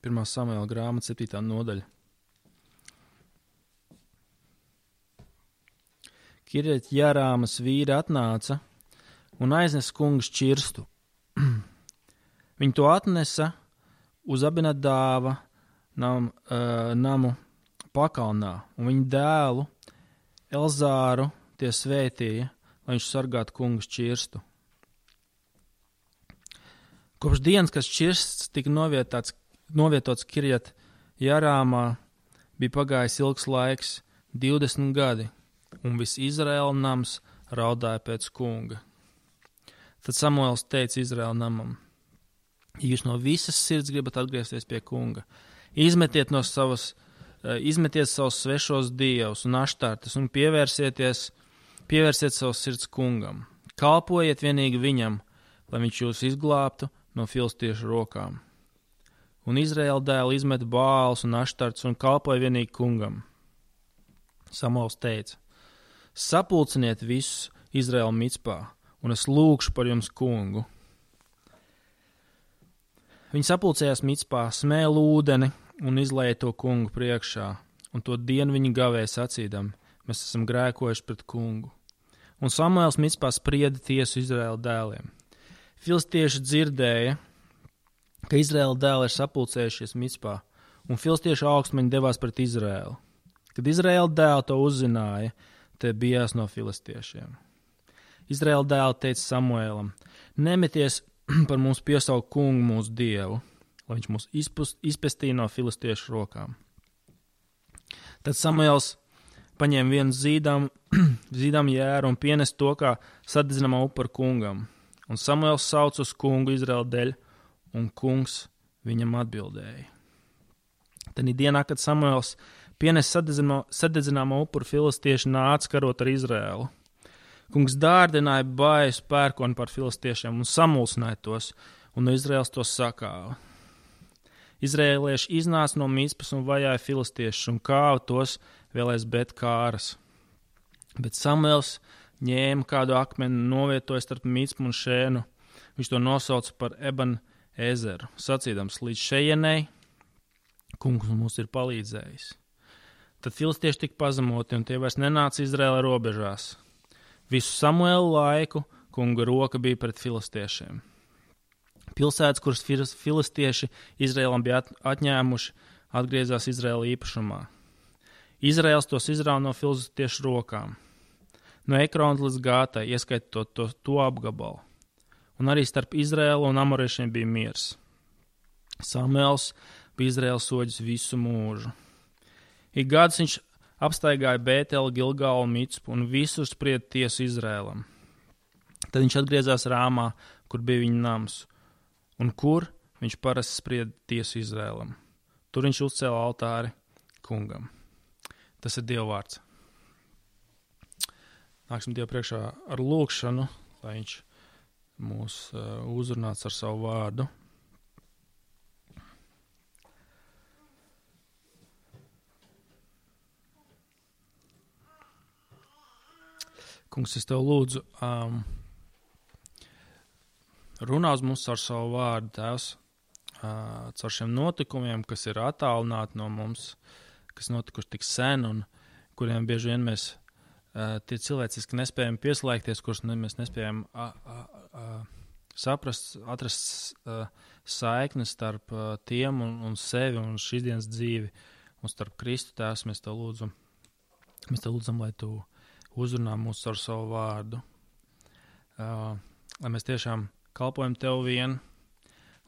1. Samuela grāmata 7. nodaļa. Kirjat Jārāmas vīri atnāca un aiznes kunga šķirstu. Viņi to atnesa uz Abinadāva namu pakalnā, un viņa dēlu Elzāru tie svētīja, lai viņš sargātu kunga šķirstu. Kopš dienas, kad šķirsts tika novietots Kirjat Jārāmā, bija pagājis ilgs laiks, 20 gadi, un viss Izraēla nams raudāja pēc kunga. Tad Samuels teica Izraēla namam: jūs no visas sirds gribat atgriezties pie kunga, izmetiet savus svešos dievus un aštartes un pievērsiet savus sirds kungam. Kalpojiet vienīgi viņam, lai viņš jūs izglābtu no filistiešu rokām. Un Izraēla dēli izmet Bālus un aštartes un kalpoja vienīgi kungam. Samuels teica: sapulciniet visus Izraēlu Micpā, un es lūgšu par jums kungu. Viņi sapulcējās Micpā, smēla ūdeni un izlēja to kungu priekšā, un to dienu viņi gavēja sacīdam: mēs esam grēkojuši pret kungu. Un Samuels Micpā sprieda tiesu Izraēla dēliem. Filistieši dzirdēja, ka Izraēla dēli ir sapulcējušies Micpā, un filistiešu augstmeņi devās pret Izraēlu. Kad Izraēla dēli to uzzināja, tie bijās no filistiešiem. Izraēla dēli teica Samuēlam: nemeties par mums piesaukt kungu mūsu dievu, lai viņš mūs izpestīja no filistiešu rokām. Tad Samuels paņēma vienu zīdām jēru un pienesa to kā sadedzinamā upura kungam. Un Samuels sauca uz kungu Izraēla dēļ, un kungs viņam atbildēja. Tad dienā, kad Samuels pienesa sadedzināmo upuru, filistieši nāca karot ar Izraēlu. Kungs dārdināja baisu pērkoni par filistiešiem un samulsināja tos, un no Izraēlas tos sakāva. Izraēlieši iznāca no Micpas un vajāja filistiešus un kāva tos vēl aiz Bet-kāras. Bet Samuels ņēma kādu akmeni un novietoja starp Micpu un Šēnu. Viņš to nosauca par Eben-ezeru, sacīdams: līdz šejienei kungs mums ir palīdzējis. Tad filistieši tika pazemoti, un tie vairs nenāca Izraēla robežās. Visu Samuēlu laiku kunga roka bija pret filistiešiem. Pilsētas, kuras filistieši Izraēlam bija atņēmuši, atgriezās Izraēla īpašumā. Izraēls tos izrāva no filistiešu rokām. No Ekrona līdz Gātai, ieskaitot to apgabalu. Un arī starp Izraēlu un amoriešiem bija miers. Samuels bija Izraēla soģis visu mūžu. Ik gadus viņš apstaigāja Bēteli, Gilgalu un Micpu un visur sprieda tiesu Izraēlam. Tad viņš atgriezās Rāmā, kur bija viņa nams, un kur viņš parasti sprieda tiesu Izraēlam. Tur viņš uzcēla altāri kungam. Tas ir Dieva vārds. Nāksim Dievu priekšā ar lūgšanu, lai viņš mūs uzrunāts ar savu vārdu. Kungs, es tev lūdzu, runā uz mums ar savu vārdu, Tēvs, caur šiem notikumiem, kas ir attālināti no mums, kas notikuši tik sen un kuriem bieži vien mēs tie cilvēciski nespējam pieslēgties, kurus mēs nespējam saprast, atrast saiknes starp tiem un sevi un šīs dienas dzīvi un starp Kristu. Tēvs, mēs tev lūdzam, lai tu uzrunā mūs ar savu vārdu, lai mēs tiešām kalpojam tev vien,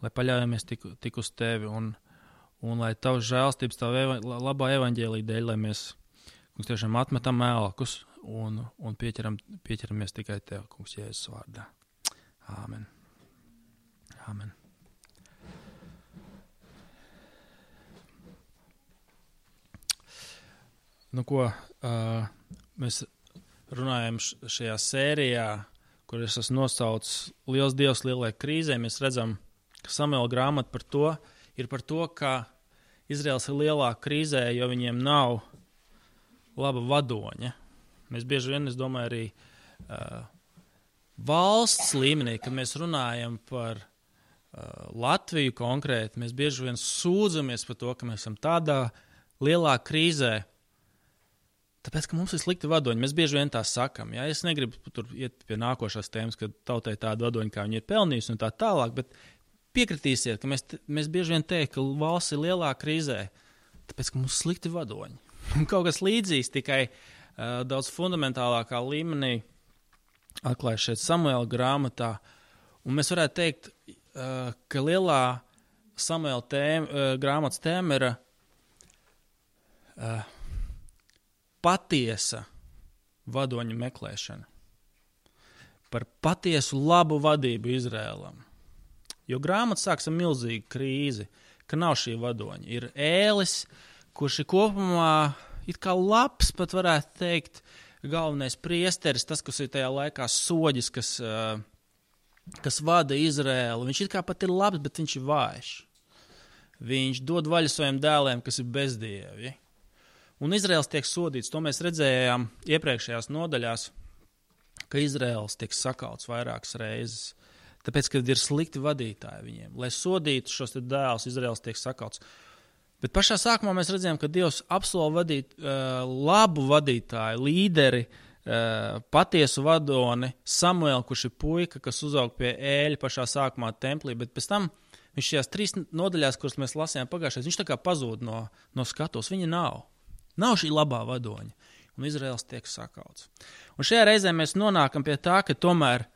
lai paļaujamies tik uz tevi un lai tavs žēlstības, tava labā evaņģēlija dēļ, lai mēs, kungs, tiešām atmetam ēlakus un pieķeramies tikai tev, kungs, Jēzus vārdā. Āmen. Āmen. Nu ko, mēs runājam šajā sērijā, kur es esmu nosaucis Liels Dievs lielai krīzē. Mēs redzam, ka Samuela grāmata ir par to, ka Izraels ir lielā krīzē, jo viņiem nav laba vadoņa. Mēs bieži vien, es domāju, arī valsts līmenī, kad mēs runājam par Latviju konkrēti, mēs bieži vien sūdzamies par to, ka mēs esam tādā lielā krīzē, tāpēc, ka mums ir slikti vadoņi. Mēs bieži vien tā sakam. Ja? Es negribu tur iet pie nākošās tēmas, ka tautai tāda vadoņa, kā viņi ir pelnījusi un tā tālāk, bet piekritīsiet, ka mēs bieži vien teiktu, ka valsts ir lielā krīzē, tāpēc, ka mums ir slikti vadoņi. Un kaut kas līdzīgs, tikai daudz fundamentālākā līmenī atklājas šeit Samuela grāmatā. Un mēs varētu teikt, ka lielā Samuela grāmatas tēma ir patiesa vadoņa meklēšana. Par patiesu labu vadību Izrēlam. Jo grāmata sāks ar milzīgu krīzi, ka nav šī vadoņa. Ir Ēlis, kurš ir kopumā it kā labs, pat varētu teikt, galvenais priesteris, tas, kas ir tajā laikā soģis, kas vada Izrēlu. Viņš it kā pat ir labs, bet viņš ir vājš. Viņš dod vaļu saviem dēliem, kas ir bezdievi. Un Izraels tiek sodīts. To mēs redzējām iepriekšējās nodaļās, ka Izraels tiek sakauts vairākas reizes. Tāpēc, kad ir slikti vadītāji viņiem. Lai sodītu šos dēlus, Izraels tiek sakauts. Bet pašā sākumā mēs redzējām, ka Dievs apsola vadīt labu vadītāju, līderi, patiesu vadoni, Samuelu, kurš ir puika, kas uzaug pie Ēļa pašā sākumā templī, bet pēc tam viņš šajās 3 nodaļās, kuras mēs lasījām pagājušajā, viņš tā kā pazūd no skatos. Viņa nav. Nav šī labā vadoņa, un Izraels tiek sakauts. Un šajā reizē mēs nonākam pie tā, ka tomēr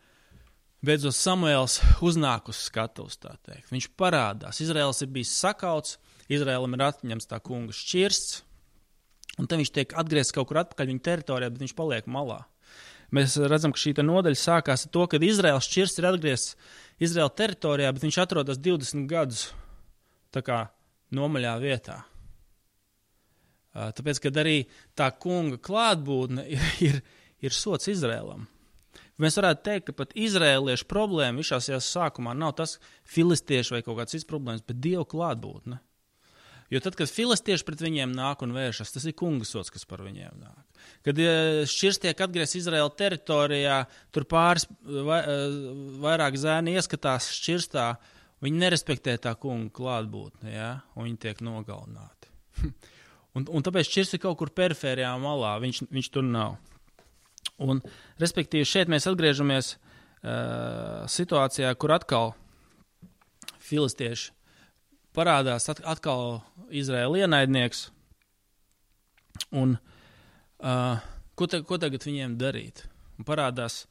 beidzot Samuels uznāk uz skatuves, tā teikt. Viņš parādās. Izraels ir bijis sakauts, Izraēlam ir atņemts tā kunga šķirsts, un te viņš tiek atgriezts kaut kur atpakaļ viņa teritorijā, bet viņš paliek malā. Mēs redzam, ka šī nodaļa sākās ar to, ka Izraels šķirsts ir atgriezts Izraēla teritorijā, bet viņš atrodas 20 gadus tā kā nomaļā vietā. Tāpēc, kad arī tā kunga klātbūtne ir sots Izrēlam. Mēs varētu teikt, ka pat izrēliešu problēma visās sākumā nav tas filistiešu vai kaut kāds cits problēmas, bet Dievu klātbūtne. Jo tad, kad filistieši pret viņiem nāk un vēršas, tas ir kunga sots, kas par viņiem nāk. Kad šķirs tiek atgriezts Izraēla teritorijā, tur pāris vairāk zēni ieskatās šķirstā, viņi nerespektē tā kunga klātbūtni, ja? Un viņi tiek nogalināti. Un tāpēc šķirs ir kaut kur perifērijā malā, viņš tur nav. Un, respektīvi, šeit mēs atgriežamies situācijā, kur atkal filistieši parādās, atkal Izraēla ienaidnieks. Un ko tagad viņiem darīt? Un parādās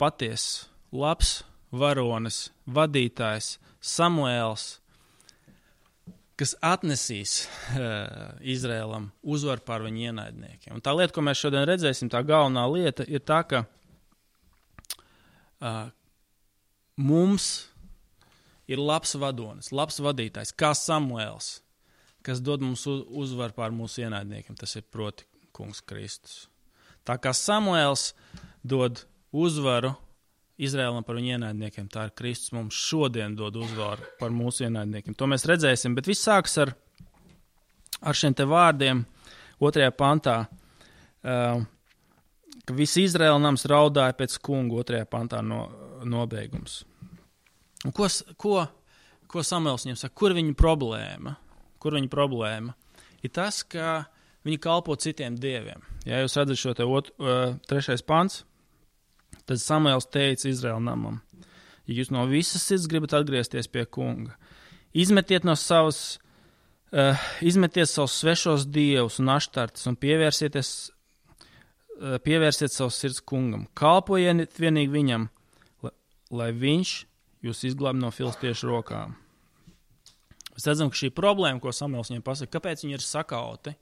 patiess, labs varonis, vadītājs, Samuēls, kas atnesīs Izrēlam uzvaru pār viņu ienaidniekiem. Un tā lieta, ko mēs šodien redzēsim, tā galvenā lieta ir tā, ka mums ir labs vadonis, labs vadītājs, kā Samuēls, kas dod mums uzvaru pār mūsu ienaidniekiem. Tas ir proti kungs Kristus. Tā kā Samuēls dod uzvaru Izrēlam par viņu ienaidniekiem, tā ir Kristus mums šodien dod uzvaru par mūsu ienaidniekiem. To mēs redzēsim, bet viss sāks ar šiem te vārdiem 2. pantā, ka visi Izrēla nams raudāja pēc kungu 2. pantā nobeigums. Un ko Samuels viņam saka? Kur viņa problēma? Kur viņa problēma? Ir tas, ka viņi kalpo citiem dieviem. Ja jūs redzat šo te 3. pants, tad Samuels teica Izraēla namam, ja jūs no visas sirds gribat atgriezties pie kunga, izmetiet savus svešos dievus un aštartus un pievērsiet savus sirds kungam. Kalpojiet vienīgi viņam, lai viņš jūs izglāb no filistiešu rokām. Mēs redzam, ka šī problēma, ko Samuels viņiem pasaka, kāpēc viņi ir sakauti,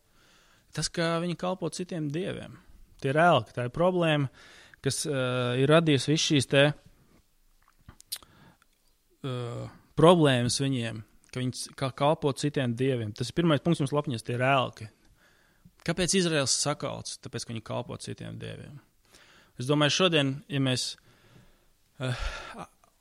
tas, ka viņi kalpo citiem dieviem. Tie ir ēlki, tā ir problēma, kas ir radījusi visu šīs te problēmas viņiem, ka viņi kalpo citiem dieviem. Tas ir pirmais punkts mums lapņas, tie ir ēlki. Kāpēc Izraels sakauts? Tāpēc, ka viņi kalpo citiem dieviem. Es domāju, šodien, ja mēs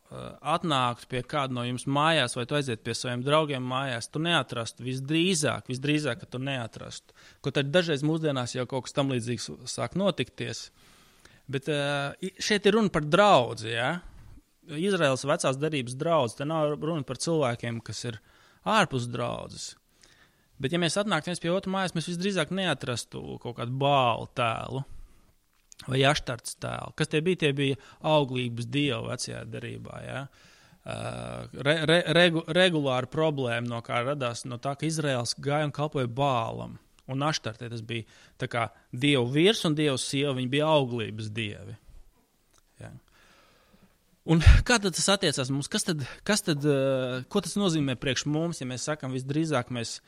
atnāktu pie kāda no jums mājās, vai tu aiziet pie saviem draugiem mājās, tu neatrastu, visdrīzāk, ka tu neatrastu. Kaut arī dažreiz mūsdienās jau kaut kas tam līdzīgs sāk notikties. Bet šeit ir runa par draudzi, ja? Izraēlas vecās derības draudzes, te nav runa par cilvēkiem, kas ir ārpus draudzes. Bet ja mēs atnāktu viens pie otru mājas, mēs visdrīzāk neatrastu kaut kādu Bālu tēlu vai Aštartes tēlu. Kas tie bija? Tie bija auglības dievi vecajā derībā, ja? Regulāra problēma, no kā radās no tā, ka Izraēls gāja un kalpoja Bālam. Un Aštartē tas bija tā kā dievu virs un dievu sieva, viņi bija auglības dievi. Ja. Un kā tad tas attiecās mums? Ko tas nozīmē priekš mums, ja mēs sakam, visdrīzāk mēs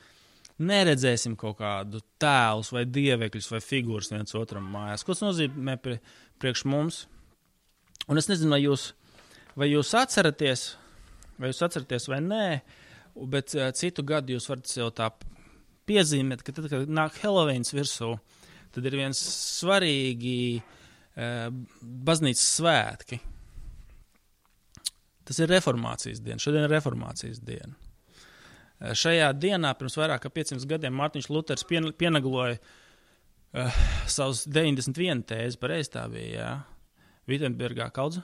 neredzēsim kaut kādu tēlus vai dievekļus vai figūras viens otram mājās? Ko tas nozīmē priekš mums? Un es nezinu, vai jūs atceraties vai nē, bet citu gadu jūs varat sev tā piezīmēt, ka tad, kad nāk Heloveins virsū, tad ir viens svarīgi baznīcas svētki. Tas ir reformācijas diena. Šodien ir reformācijas diena. Šajā dienā pirms vairāk kā 500 gadiem Mārtiņš Luters pienagloja savus 91 tēzes, pareizi tā bija, jā. Vitenbergā kaudz?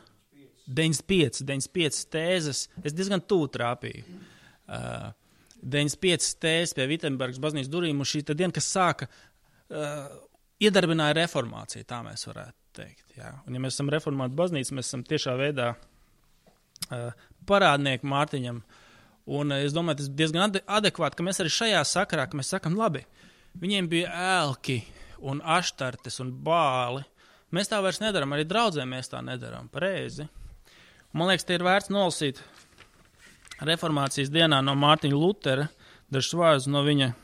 95 tēzes. Es diezgan tuvu trāpīju. 95 tēzes pie Vitenbergas baznīcas durvīm, un šī diena, kas sāka, iedarbināja reformāciju, tā mēs varētu teikt. Jā. Un ja mēs esam reformāta baznīca, mēs esam tiešā veidā parādnieki Mārtiņam, un es domāju, tas ir diezgan adekvāti, ka mēs arī šajā sakarā, ka mēs sakam, labi, viņiem bija ēlki un aštartes un bāli, mēs tā vairs nedaram, arī draudzē mēs tā nedaram, pareizi. Man liekas, te ir vērts nolasīt reformācijas dienā no Mārtiņa Lutera, dažs vārdus no viņa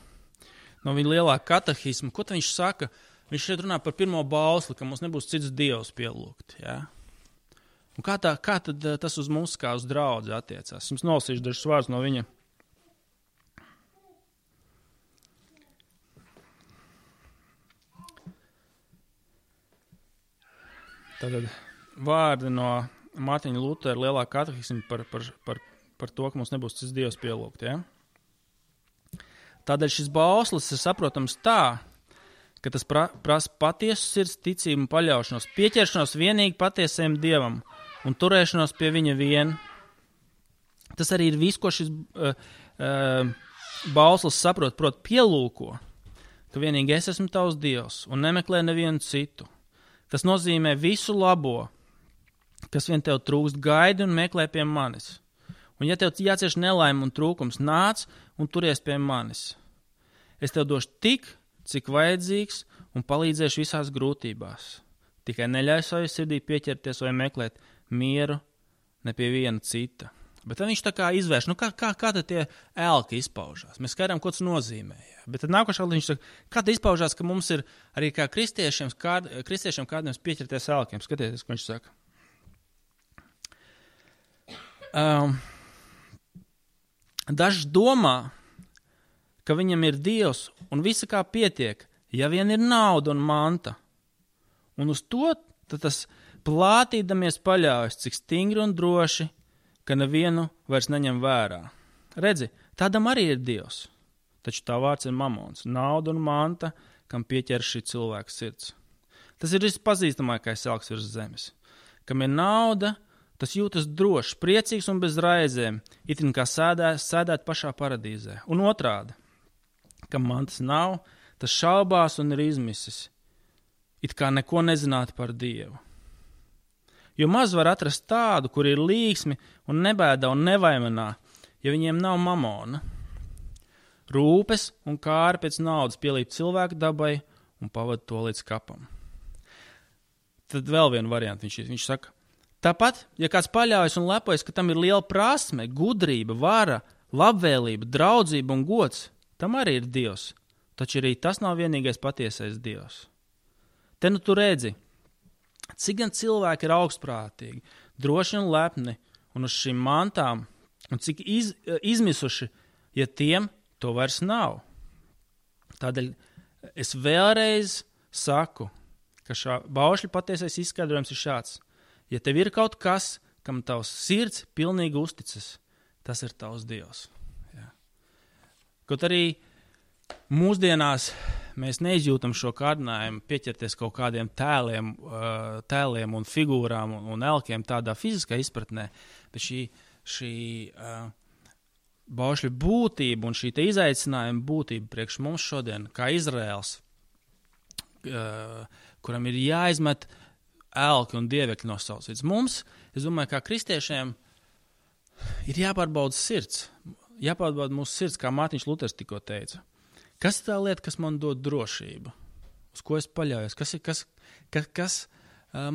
lielā katehisma. Ko viņš saka? Viņš šeit runā par pirmo bausli, ka mums nebūs cits dievs pielūgt. Ja? Un kā tad tas uz mums kā uz draudzi attiecās? Jums nolasīšu dažs vārdus no viņa. Tātad vārdi no Mārtiņa Lutera lielā katehisma par to, ka mums nebūs cits dievs pielūgt. Ja? Tādēļ šis bauslis ir saprotams tā, ka tas prasa patiesu sirds ticību un paļaušanos, pieķeršanos vienīgi patiesajam dievam un turēšanos pie viņa vien. Tas arī ir viss, ko šis bauslis saprot, proti pielūko, ka vienīgi es esmu tavs dievs un nemeklē nevienu citu. Tas nozīmē visu labo, kas vien tev trūkst, gaidi un meklē pie manis. Un ja tev jācieš nelaime un trūkums, nāc un turies pie manis. Es tev došu tik, cik vajadzīgs un palīdzēšu visās grūtībās. Tikai neļauj savai sirdī pieķerties vai meklēt mieru ne pie viena cita. Bet tad viņš tā kā izvērš, kā tad tie ēlki izpaužās? Mēs skaidrām, ko tas nozīmē. Ja? Bet tad nākošā viņš saka, kā tas izpaužās, ka mums ir arī kā kristiešiem kādiem pieķerties ēlkiem. Skatieties, ko viņš saka. Dažs domā, ka viņam ir dievs un visa kā pietiek, ja vien ir nauda un manta. Un uz to tas plātīdamies paļaujas, cik stingri un droši, ka nevienu vairs neņem vērā. Redzi, tādam arī ir dievs, taču tā vārds ir mamons, nauda un manta, kam pieķer šī cilvēka sirds. Tas ir vispazīstamākais elks virs zemes. Kam ir nauda, tas jūtas drošs, priecīgs un bez raizēm, itin kā sēdēt pašā paradīzē. Un otrādi, kam mantas nav, tas šaubās un ir izmisis, it kā neko nezinātu par Dievu. Jo maz var atrast tādu, kur ir līksmi un nebēdā un nevaimanā, ja viņiem nav mamona. Rūpes un kāri pēc naudas pielīp cilvēku dabai un pavada to līdz kapam. Tad vēl vienu variantu viņš saka, tāpat, ja kāds paļaujas un lepojas, ka tam ir liela prasme, gudrība, vara, labvēlība, draudzība un gods, tam arī ir Dievs, taču arī tas nav vienīgais patiesais Dievs. Te nu tu redzi, cik gan cilvēki ir augstprātīgi, droši un lepni, un uz šīm mantām, un cik izmisuši, ja tiem to vairs nav. Tādēļ es vēlreiz saku, ka šā baušļa patiesais izskaidrojums ir šāds. Ja tev ir kaut kas, kam tavs sirds pilnīgi uzticas, tas ir tavs Dievs. Ja. Kaut arī mūsdienās mēs neizjūtam šo kārdinājumu pieķerties kaut kādiem tēliem un figūrām un elkiem tādā fiziskā izpratnē, bet šī baušļu būtība un šī izaicinājuma būtība priekš mums šodien, kā Izraels, kuram ir jāizmet elki un dievekļi no savas vidas. Mums, es domāju, kā kristiešiem, ir jāpārbauda sirds. Jāpārbauda mūsu sirds, kā Mārtiņš Luters tikko teica. Kas ir tā lieta, kas man dod drošību? Uz ko es paļaujos? Kas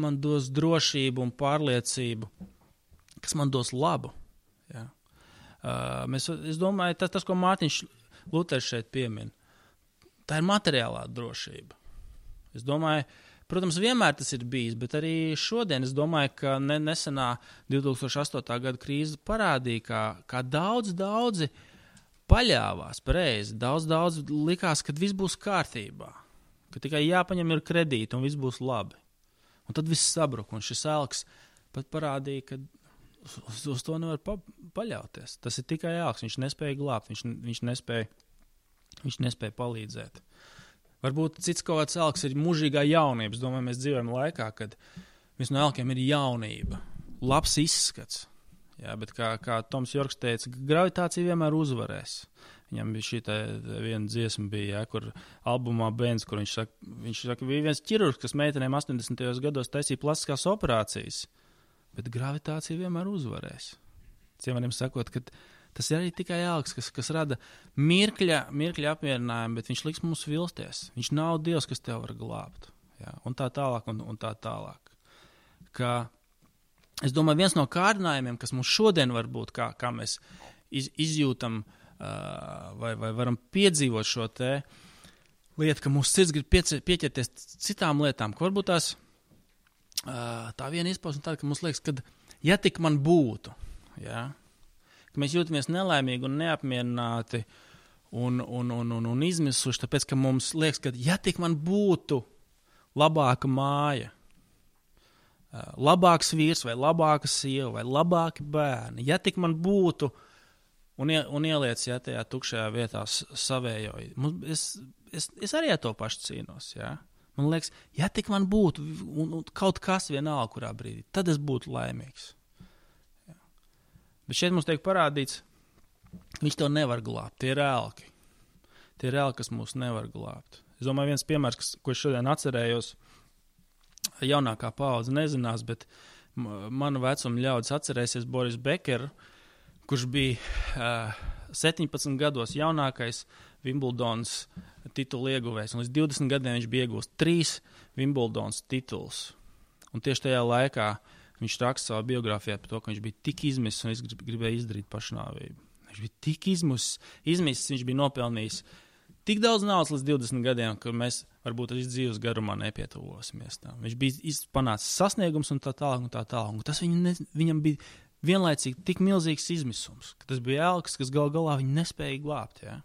man dos drošību un pārliecību? Kas man dos labu? Ja? Es domāju, tas, ko Mārtiņš Luters šeit piemin, tā ir materiālā drošība. Es domāju, protams, vienmēr tas ir bijis, bet arī šodien es domāju, ka nesenā 2008. gada krīze parādīja, kā daudzi paļāvās pareizi. Daudz likās, ka viss būs kārtībā, ka tikai jāpaņem ir kredīti un viss būs labi. Un tad viss sabruka, un šis elks pat parādīja, ka uz to nevar paļauties. Tas ir tikai elks, viņš nespēja glābt, viņš nespēja palīdzēt. Varbūt cits kaut kāds elks ir mūžīgā jaunība. Es domāju, mēs dzīvojam laikā, kad viens no elkiem ir jaunība, labs izskats. Jā, bet kā Toms Jorks teica, gravitācija vienmēr uzvarēs. Viņam bija šī viena dziesma bija, kur albumā Bens, kur viņš saka, bija viens ķirurgs, kas meitenēm 80. gados taisīja plastiskās operācijas, bet gravitācija vienmēr uzvarēs. Ciemaniem sakot, ka tas ir arī tikai elks, kas rada mirkļa apmierinājumu, bet viņš liks mums vilsties. Viņš nav Dievs, kas tev var glābt. Jā, un tā tālāk, un tā tālāk. Es domāju, viens no kārdinājumiem, kas mums šodien var būt, kā mēs izjūtam vai varam piedzīvot šo te lietu, ka mūsu sirds grib pieķerties citām lietām, ka varbūt tā viena izpausme tāda, ka mums liekas, ka ja tik man būtu, jā, ka mēs jūtamies nelaimīgi un neapmierināti un izmisuši, tāpēc, ka mums liekas, ka ja tik man būtu labāka māja, labāks vīrs vai labāka sieva vai labāki bērni, ja tik man būtu un ieliec tajā tukšajā vietā savējo. Es arī ar to pašu cīnos, jā. Man liekas, ja tik man būtu un kaut kas vienalga, kurā brīdī, tad es būtu laimīgs. Jā. Bet šeit mums tiek parādīts, viņš to nevar glābt, tie ir elki. Tie ir elki, kas mūs nevar glābt. Es domāju, viens piemērs, ko es šodien atcerējos, jaunākā paudze nezinās, bet manu vecumu ļaudis atcerēsies Boris Bekeru, kurš bija 17 gados jaunākais Wimbledons titulu ieguvējs. Un līdz 20 gadiem viņš bija iegūst 3 Wimbledons titulus. Un tieši tajā laikā viņš raksta savā biogrāfijā par to, ka viņš bija tik izmisis un gribēja izdarīt pašnāvību. Viņš bija tik izmisis, viņš bija nopelnījis tik daudz naudas līdz 20 gadiem, ka mēs varbūt arī dzīves garumā nepietuvosimies tam. Viņš bija panācis sasniegums un tā tālāk un tā tālāk. Un tas viņam bija vienlaicīgi tik milzīgs izmisums, ka tas bija elks, kas galā viņu nespēja glābt. Ja?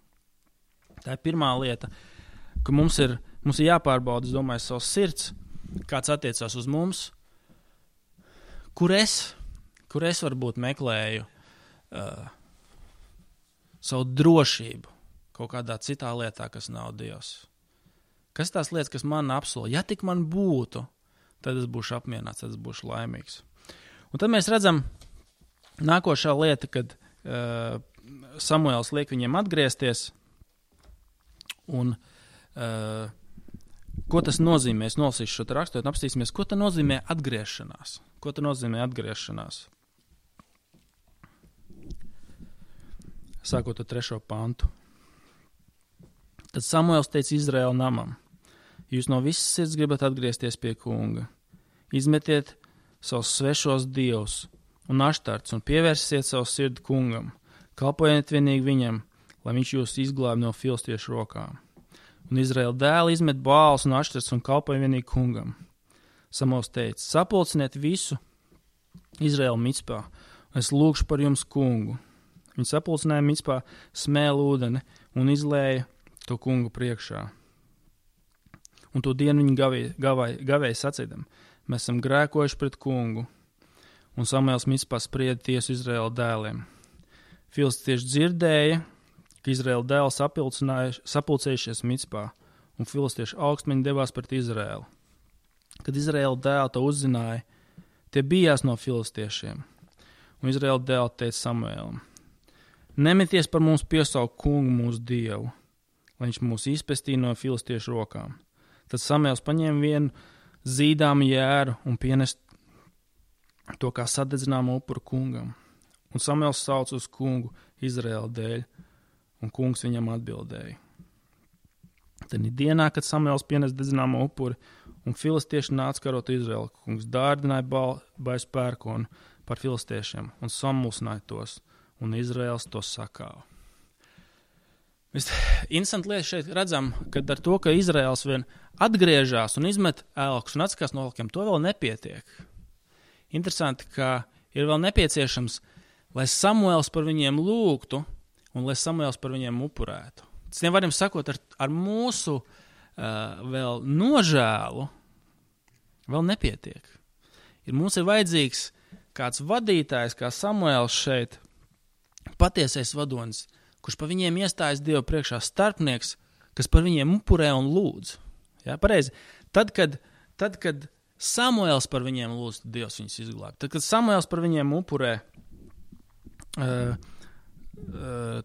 Tā ir pirmā lieta, ka mums ir jāpārbauda, es domāju, savs sirds, kāds attiecās uz mums, kur es varbūt meklēju savu drošību kaut kādā citā lietā, kas nav Dievs. Kas tās lietas, kas man apsola? Ja tik man būtu, tad es būšu apmierināts, tad es būšu laimīgs. Un tad mēs redzam nākošā lieta, kad Samuēls liek viņiem atgriezties, un ko tas nozīmē? Es nolasīšu šo rakstot un apstīsimies, ko tas nozīmē atgriešanās. Ko tas nozīmē atgriešanās? Sākot ar 3. pantu. Tad Samuēls teica Izraēla namam: jūs no visas sirds gribat atgriezties pie kunga. Izmetiet savus svešos dievus un aštarts un pievērsiet savu sirdi kungam. Kalpojiet vienīgi viņam, lai viņš jūs izglāb no filistiešu rokām. Un Izraēla dēli izmet bāls un aštarts un kalpoja vienīgi kungam. Samuēls teica: sapulciniet visu Izraēlu Micpā, un es lūgšu par jums kungu. Viņi sapulcināja Micpā smēlu ūdeni un izlēja to kungu priekšā. Un to dienu viņi gavēja sacīdam: mēs esam grēkojuši pret kungu. Un Samuēls Micpā sprieda tiesu Izraēla dēliem. Filistieši dzirdēja, ka Izraēla dēli sapulcējušies Micpā, un filistiešu augstmeņi devās pret Izraēlu. Kad Izraēla dēli to uzzināja, tie bijās no filistiešiem, un Izraēla dēli teica Samuēlam: Nemeties par mums piesaukt kungu mūsu dievu, lai viņš mūs izpestīja no filistiešu rokām. Tad Samuēls paņēma vienu zīdāmu jēru un pienest to kā sadedzināmu upuru kungam. Un Samuēls sauca uz kungu Izraēla dēļ, un kungs viņam atbildēja. Tad dienā, kad Samuēls pienes dedzināmo upuri, un filistieši nāca karot Izraēlu, kungs dārdināja baisu pērkonu par filistiešiem un samulsināja tos, un Izraēls tos sakāva. Interesanti lieta šeit redzam, kad ar to, ka Izraēls vien atgriežās un izmet elkus un atskās no elkiem, to vēl nepietiek. Interesanti, ka ir vēl nepieciešams, lai Samuēls par viņiem lūgtu un lai Samuēls par viņiem upurētu. Citiem vārdiem sakot, ar mūsu vēl nožēlu vēl nepietiek. Mums ir vajadzīgs kāds vadītājs, kā Samuēls šeit, patiesais vadonis, kurš par viņiem iestājas Dievu priekšā, starpnieks, kas par viņiem upurē un lūdz. Ja, pareizi. Tad, kad Samuēls par viņiem lūdz, tad Dievs viņus izglāb. Tad, kad Samuēls par viņiem upurē,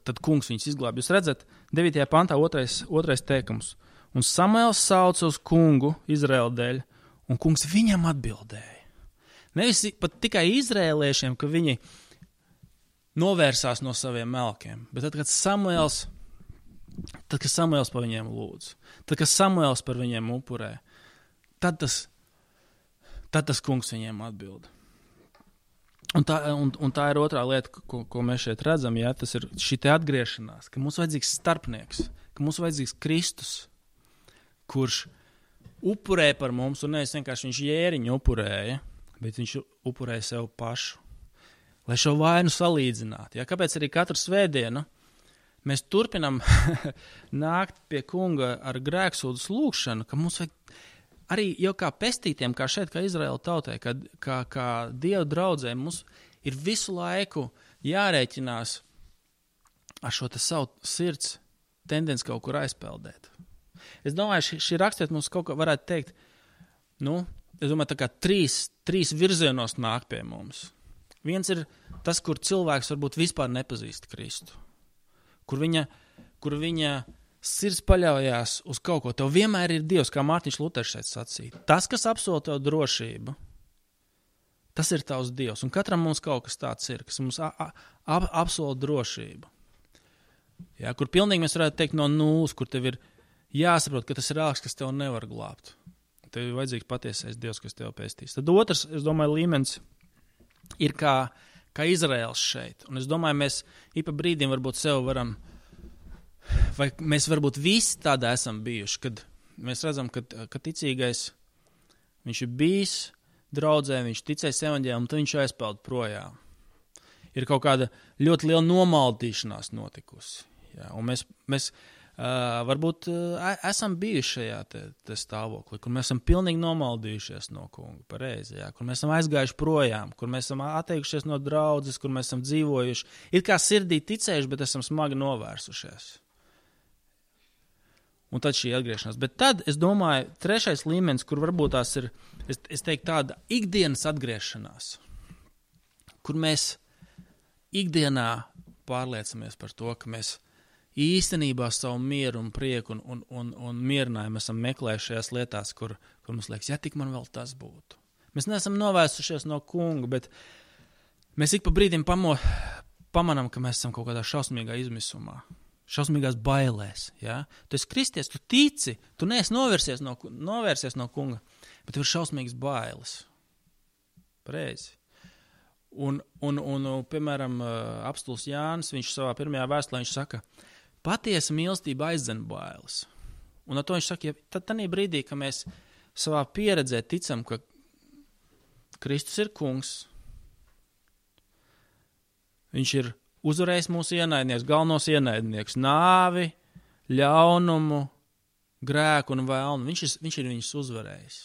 tad kungs viņus izglāb. Jūs redzat, 9. pantā otrais teikums. Un Samuēls sauca uz kungu Izraēla dēļ, un kungs viņam atbildēja. Nevis pat tikai izrēliešiem, ka viņi novērsās no saviem melkiem, bet tad, kad Samuēls par viņiem lūdz, tad, kad Samuēls par viņiem upurē, tad tas kungs viņiem atbild. Un tā ir otrā lieta, ko mēs šeit redzam, ja, tas ir šī te atgriešanās, ka mums vajadzīgs starpnieks, ka mums vajadzīgs Kristus, kurš upurē par mums, un nevis vienkārši viņš jēriņu upurēja, bet viņš upurēja sev pašu. Lai šo vainu salīdzinātu. Ja? Kāpēc arī katru svētdienu mēs turpinam nākt pie kunga ar grēksūdas lūgšanu, ka mums vajag arī jau kā pestītiem, kā šeit, kā Izraēla tautai, kā Dieva draudzē, mums ir visu laiku jārēķinās ar šo te savu sirds tendenci kaut kur aizpeldēt. Es domāju, šī rakstiet mums kaut ko varētu teikt, es domāju, tā kā trīs virzienos nāk pie mums. Viens ir tas, kur cilvēks varbūt vispār nepazīst Kristu, kur viņa sirds paļaujās uz kaut ko. Tev vienmēr ir Dievs, kā Mārtiņš Luters šeit sacīja. Tas, kas apsola tev drošību, tas ir tavs Dievs. Un katram mums kaut kas tāds ir, kas mums apsola drošību. Ja, kur pilnīgi mēs varētu teikt no nulles, kur tev ir jāsaprot, ka tas ir ārks, kas tev nevar glābt. Tev ir vajadzīgs patiesais Dievs, kas tev pēstīs. Tad otrs, es domāju, līmenis ir kā Izraēls šeit. Un es domāju, mēs pa brīdim varbūt sev varam, vai mēs varbūt visi tādā esam bijuši, kad mēs redzam, ka ticīgais, viņš ir bijis draudzē, viņš ticēs evaņģēlijam, un tad viņš aizpeld projām. Ir kaut kāda ļoti liela nomaldīšanās notikusi. Ja? Un mēs varbūt esam bijuši šajā te stāvoklī, kur mēs esam pilnīgi nomaldījušies no kunga, pareizi, ja? Kur mēs esam aizgājuši projām, kur mēs esam atteikušies no draudzes, kur mēs esam dzīvojuši. Ir kā sirdī ticējuši, bet esam smagi novērsušies. Un tad šī atgriešanās. Bet tad, es domāju, trešais līmenis, kur varbūt tās ir, es teiktu, tāda ikdienas atgriešanās, kur mēs ikdienā pārliecamies par to, ka mēs īstenībā savu mieru un prieku un mierinājumu esam meklējuši šajās lietās, kur mums liekas, ja tik man vēl tas būtu. Mēs neesam novērsušies no kunga, bet mēs ik pa brīdim pamanām, ka mēs esam kaut kādā šausmīgā izmisumā, šausmīgās bailēs. Ja? Tu esi kristies, tu tici, tu neesi novērsies no kunga, bet tev ir šausmīgas bailes. Pareizi. Un piemēram, apstulis Jānis, viņš savā pirmajā vēstulē, viņš saka, patiesa mīlestība aizdzen bailes. Un ar to viņš saka, ja tad brīdī, ka mēs savā pieredzē ticam, ka Kristus ir kungs, viņš ir uzvarējis mūsu ienaidnieks, galvenos ienaidnieks, nāvi, ļaunumu, grēku un vēlnu. Viņš ir viņus uzvarējis.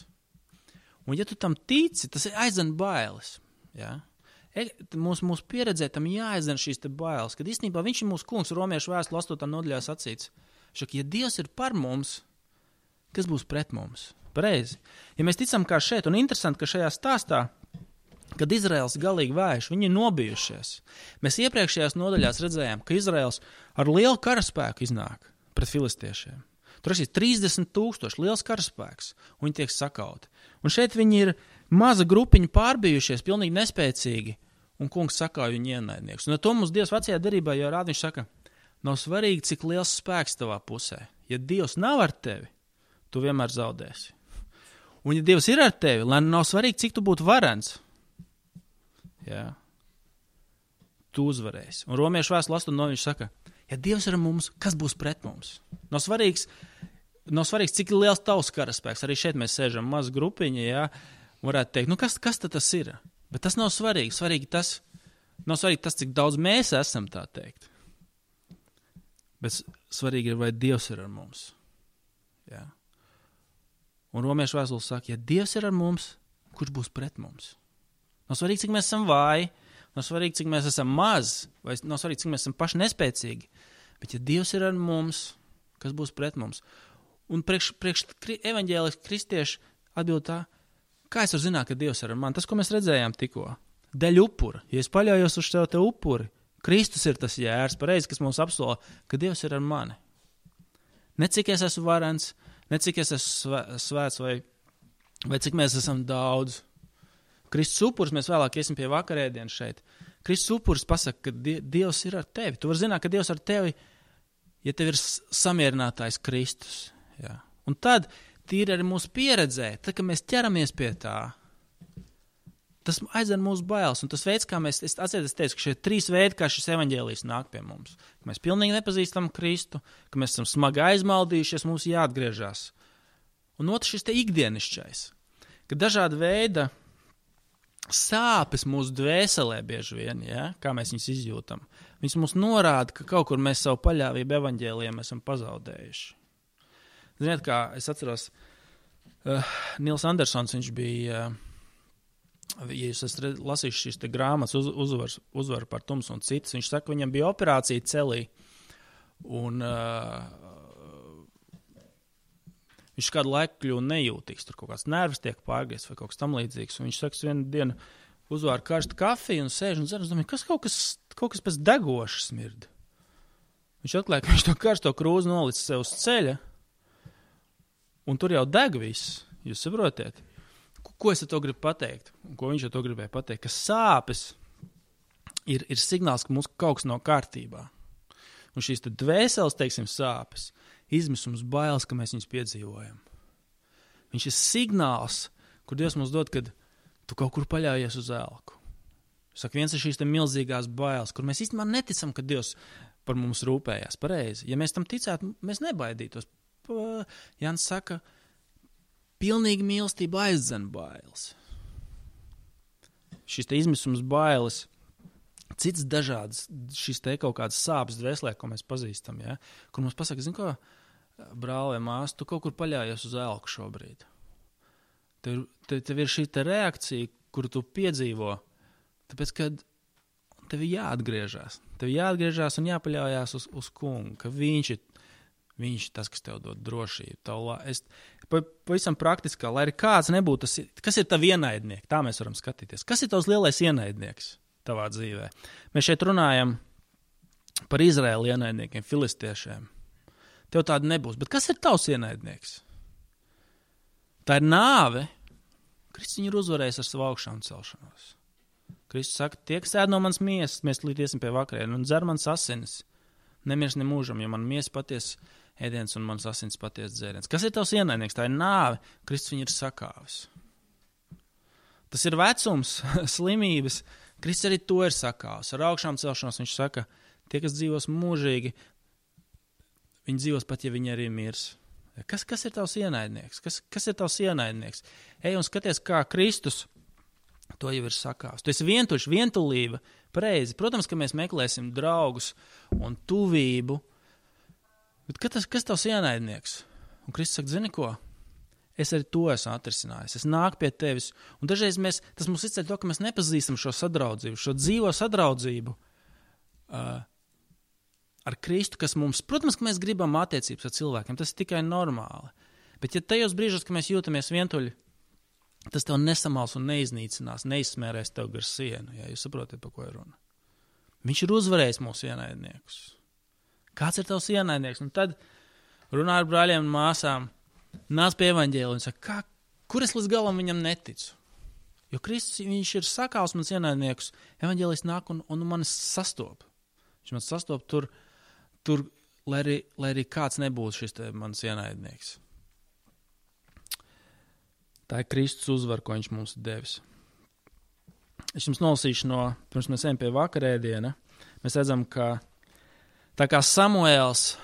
Un ja tu tam tici, tas aizdzen bailes. Ja? Mūsu pieredzē tam jāaizdzen šīs te bailes, kad īstenībā viņš ir mūsu kungs, Romiešu vēstule 8. nodaļā sacīts. Ja Dievs ir par mums, kas būs pret mums. Pareizi. Ja mēs ticam kā šeit, un interesanti, ka šajā stāstā, kad Izraels galīgi vājš, viņi ir nobijušies. Mēs iepriekšējās nodaļās redzējām, ka Izraels ar lielu karaspēku iznāk pret filistiešiem. Tur ir 30,000 liels karaspēks, un viņi tiek sakauti. Un šeit viņi ir maza grupiņa pārbijušies, pilnīgi nespēcīgi, un kungs sakauj viņu ienaidnieks. Un ar to mums Dievs vecajā derībā jau rāda, viņš saka, nav svarīgi, cik liels spēks tavā pusē. Ja Dievs nav ar tevi, tu vienmēr zaudēsi. Un ja Dievs ir ar tevi, lai nav svarīgi, cik tu būtu varens, jā, tu uzvarēsi. Un Romiešu vēstule 8 viņš saka, ja Dievs ir ar mums, kas būs pret mums? Nav svarīgs, cik liels tavs karaspēks. Arī šeit mēs sēžam maz grupiņa, jā, varētu teikt, kas tad tas ir? Bet tas nav svarīgi. Nav svarīgi tas, cik daudz mēs esam, tā teikt. Bet svarīgi ir, vai Dievs ir ar mums. Jā. Un Romiešu vēstule saka, ja Dievs ir ar mums, kurš būs pret mums? Nav svarīgi, cik mēs esam vāji, nav svarīgi, cik mēs esam maz, vai nav svarīgi, cik mēs esam paši nespēcīgi. Bet ja Dievs ir ar mums, kas būs pret mums? Un priekš evaņģēliski kristieši atbild tā, kā es varu zināt, ka Dievs ir ar mani? Tas, ko mēs redzējām tikko. Deļ upura. Ja es paļaujos uz te upuri, Kristus ir tas jērs, pareizi, kas mums apsola, ka Dievs ir ar mani. Ne cik es esmu varens, ne cik es esmu svēts, vai cik mēs esam daudz. Kristus upuris, mēs vēlāk iesim pie vakarēdienas šeit. Kristus upuris pasaka, ka Dievs ir ar tevi. Tu vari zināt, ka Dievs ar tevi, ja tev ir samierinātājs Kristus. Jā. Un tad tīri arī mūsu pieredzē, tad, kad mēs ķeramies pie tā, tas aizdzen mūsu bailes. Un tas veids, kā es teicu, ka šie 3 veidi, kā šis evaņģēlijs nāk pie mums. Ka mēs pilnīgi nepazīstam Kristu, ka mēs esam smagi aizmaldījušies, mums jāatgriežas. Un otrs šis te ikdienišķais, ka dažāda veida sāpes mūsu dvēselē bieži vien, ja, kā mēs viņus izjūtam. Viņas mums norāda, ka kaut kur mēs savu paļāvību evaņģēlijam esam pazaudējuši. Ziniet, kā es atceros, Nils Andersons, viņš bija, ja jūs esat lasījuši šīs te grāmatas uzvar par tumsu un citas, viņš saka, viņam bija operācija celī, un viņš kādu laiku kļuva nejūtīgs, tur kaut kāds nervs tiek pārgriezts vai kaut kas tam līdzīgs, un viņš saka, vienu dienu uzvāra karstu kafiju un sēž un dzer, un domāju, kas kaut kas pēc degoša smird. Viņš atklāja, ka viņš to karsto krūzi nolicis sev uz ceļa, un tur jau deg viss, jūs saprotiet? Ko es ar to gribu pateikt? Un ko viņš ar to gribēja pateikt? Ka sāpes ir signāls, ka mums kaut kas nav kārtībā. Un šīs tad dvēseles, teiksim, sāpes, izmisums, bailes, ka mēs viņus piedzīvojam. Viņš ir signāls, kur Dievs mums dod, kad tu kaut kur paļaujies uz elku. Saka, viens ir šīs te milzīgās bailes, kur mēs īstenībā neticam, ka Dievs par mums rūpējās. Pareizi. Ja mēs tam ticētu, mēs nebaidītos. Jānis saka, pilnīgi mīlestība aizdzen bailes. Šis te izmisums bailes, cits dažādas, šis te kaut kādas sāpes dvēselē, ko mēs pazīstam, ja? Kur mums pasaka, zin ko, brāl vai mās, tu kaut kur paļājies uz elku šobrīd. Tev ir šī te reakcija, kuru tu piedzīvo, tāpēc, ka tev jāatgriežās. Tev jāatgriežās un jāpaļaujās uz kungu, ka viņš ir tas, kas tev dod drošību. Pavisam praktiskā, lai arī kāds nebūtu, kas ir tavi ienaidnieki? Tā mēs varam skatīties. Kas ir tavs lielais ienaidnieks tavā dzīvē? Mēs šeit runājam par Izraēlu ienaidniekiem, filistiešiem. Tev tāda nebūs. Bet kas ir tavs ienaidnieks? Tā ir nāve. Kristus viņu ir uzvarējis ar savu augšām celšanos. Kristus saka, tie, kas ēd no manas miesas, mēs līdiesim pie vakarēna un dzer manas asinis. Nemirs nemūžam, jo man miesa paties ēdiens un mans asins paties dzēriens. Kas ir tavs ienaidnieks? Tā ir nāve. Kristus viņu ir sakāvis. Tas ir vecums, slimības. Kristus arī to ir sakāvis. Ar augšām celšanos viņš saka, tie, kas dzīvos mūžīgi, viņi dzīvos pat, ja viņi arī mirs. Kas ir tavs ienaidnieks? Kas ir tavs ienaidnieks? Ej un skaties, kā Kristus to jau ir sakāvis. Tu esi vientuļš, vientulība, pareizi. Protams, ka mēs meklēsim draugus un tuvību, bet kas tavs ienaidnieks? Un Kristus saka, zini ko? Es arī to esmu atrisinājis. Es nāku pie tevis. Un dažreiz tas mums izceļ to, ka mēs nepazīstam šo sadraudzību, šo dzīvo sadraudzību ar Kristu, kas mums, protams, ka mēs gribam attiecības ar cilvēkiem. Tas ir tikai normāli. Bet ja tajos brīžos, ka mēs jūtamies vientuļi, tas tev nesamals un neiznīcinās, neizsmērēs tev gar sienu, ja jūs saprotat, par ko ir runa. Viņš ir uzvarējis mūsu ienaidniekus. Kāds ir tavs ienaidnieks? Un tad runā ar brāļiem un māsām, nāc pie evaņģēlija un saka, kur es līdz galam viņam neticu? Jo Kristus, viņš ir sakāls mans ienaidniekus, evaņģēlijs nāk un mani sastop. Viņš man sastop tur lai arī kāds nebūtu šis mans ienaidnieks. Tā ir Kristus uzvara, ko viņš mums ir devis. Es jums nolasīšu pirms mēs ejam pie vakarēdiena, mēs redzam, ka tā kā Samuēls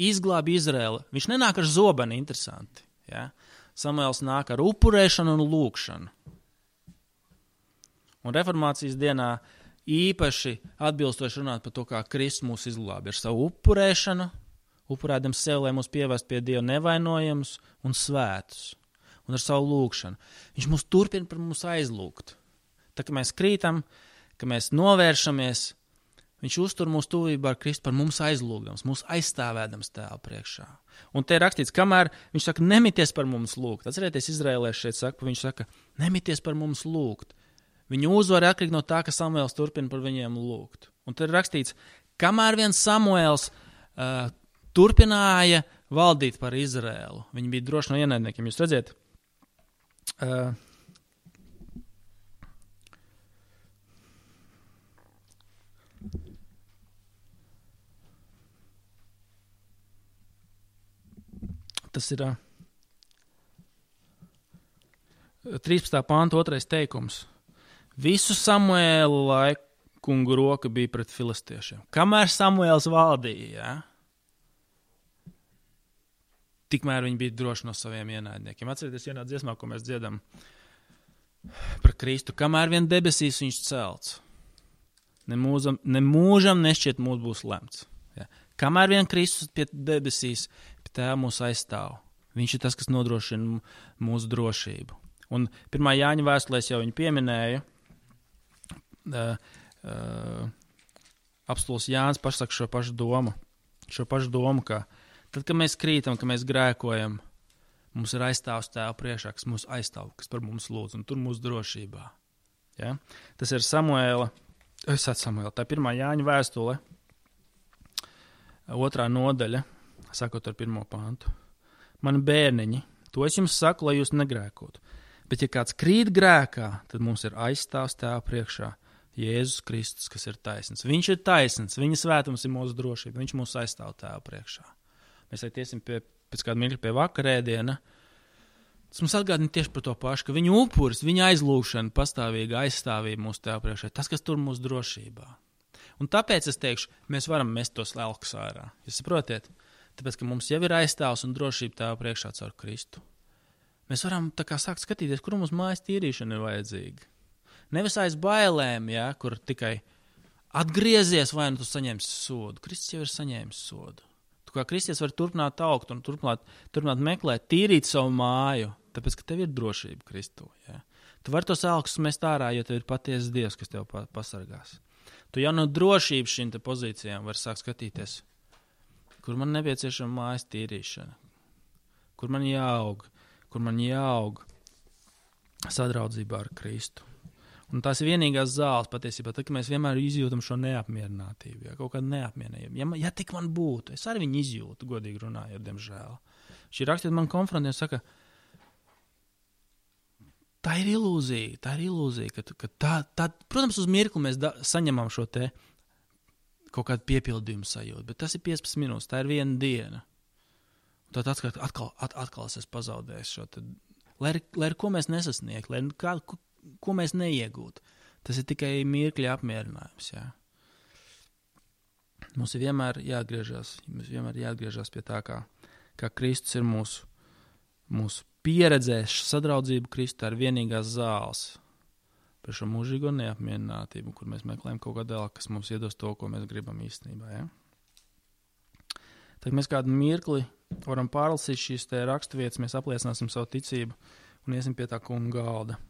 izglāba Izraeli, viņš nenāk ar zobeni, interesanti. Ja? Samuēls nāk ar upurēšanu un lūkšanu. Un reformācijas dienā īpaši atbilstoši runāt par to, kā Kristus mūs izglāba ar savu upurēšanu, upurēdam sev, lai mūs pievest pie Dieva nevainojams un svētus, un ar savu lūkšanu. Viņš mūs turpina par mums aizlūgt. Tā, ka mēs krītam, ka mēs novēršamies, viņš uztur mūsu tuvībā ar Kristu par mums aizlūgdams, mūs aizstāvēdams Tēva priekšā. Un te ir rakstīts, kamēr viņš saka, nemities par mums lūgt. Atcerieties, izraēlieši šeit saka, viņš saka, nemities par mums lūgt. Viņu uzvara atkarīgi no tā, ka Samuēls turpina par viņiem lūgt. Un te ir rakstīts, kamēr vien Samuēls turpināja valdīt par Izraēlu, viņi bija droši no ienaidniekiem. Jūs redziet, tas ir 13. pānta 2. teikums. Visu Samuēlu laiku un roka bija pret filistiešiem. Kamēr Samuēls valdīja, ja? Tikmēr viņi bija droši no saviem ienaidniekiem. Atcerieties vienā dziesmā, ko mēs dziedam par Kristu. Kamēr vien debesīs viņš celts, nemūžam nešķiet mūs būs lemts. Ja? Kamēr vien Kristus pie debesīs, pie Tēva mūs aizstāv. Viņš ir tas, kas nodrošina mūsu drošību. Un 1. Jāņa vēstulēs jau viņu pieminēja, apostuls Jānis pasaka šo pašu domu, ka tad, kad mēs krītam, ka mēs grēkojam, mums ir aizstāvs Tēva priekšā, kas mūs aizstāv, kas par mums lūdz, un tur mūsu drošībā. Ja? Tas ir Samuēla, tā 1. Jāņa vēstule, 2. nodaļa, sakot ar 1. pantu. Mani bērniņi, to es jums saku, lai jūs negrēkotu. Bet ja kāds krīt grēkā, tad mums ir aizstāvs Tēva priekšā Jēzus Kristus, kas ir taisns. Viņš ir taisns, viņa svētums ir mūsu drošība, viņš mūs aizstāv Tēva priekšā. Mēs tiesim pēc kāda mirkļa pie vakarēdiena. Tas mums atgādina tieši par to pašu, ka viņa upuris, viņa aizlūgšana, pastāvīga aizstāvība mūsu Tēva priekšā, tas, kas tur mūsu drošībā. Un tāpēc es teikšu, mēs varam mest tos lelkus ārā. Jūs saprotiet? Tāpēc, ka mums jau ir aizstāvs un drošība Tēva priekšā caur Kristu. Mēs varam tā kā sākt skatīties, kur mums mājas tīrīšana ir vajadzīga. Nevis aiz bailēm, ja, kur tikai atgriezies vai nu tu saņemsi sodu. Kristus jau ir saņēmis sodu. Tu kā kristietis vari turpināt augt un turpināt meklēt, tīrīt savu māju, tāpēc, ka tev ir drošība Kristu. Ja. Tu vari tos elkus mest ārā, jo tev ir patiesas Dievs, kas tev pasargās. Tu jau no drošības šīm te pozīcijām vari sākt skatīties, kur man nepieciešama mājas tīrīšana, kur man jāaug sadraudzībā ar Kristu. Un tās ir vienīgās zāles patiesībā, tad, ka mēs vienmēr izjūtam šo neapmierinātību, ja, kaut kādu neapmierinātību. Ja tik man būtu, es arī viņu izjūtu, godīgi runājot, diemžēl. Šī rakstīt man konfrontē un saka, tā ir ilūzija, ka tā, protams, uz mirkli mēs saņemam šo te kaut kādu piepildījumu sajūtu, bet tas ir 15 minūtes, tā ir viena diena. Un tad atkal es pazaudēju šo te, lai ar ko mēs nesasniegt, ko mēs neiegūtu. Tas ir tikai mirkļa apmierinājums. Ja? Mums ir vienmēr jāatgriežas pie tā, kā Kristus ir mūsu pieredzēs, sadraudzību Kristu ar vienīgās zāles par šo mūžīgo neapmierinātību, kur mēs meklējam kaut kādu vēl, kas mums iedos to, ko mēs gribam īstenībā. Ja? Tad mēs kādu mirkli varam pārlasīt šīs te raksturvietas, mēs apliecināsim savu ticību un iesim pie tā kunga galda.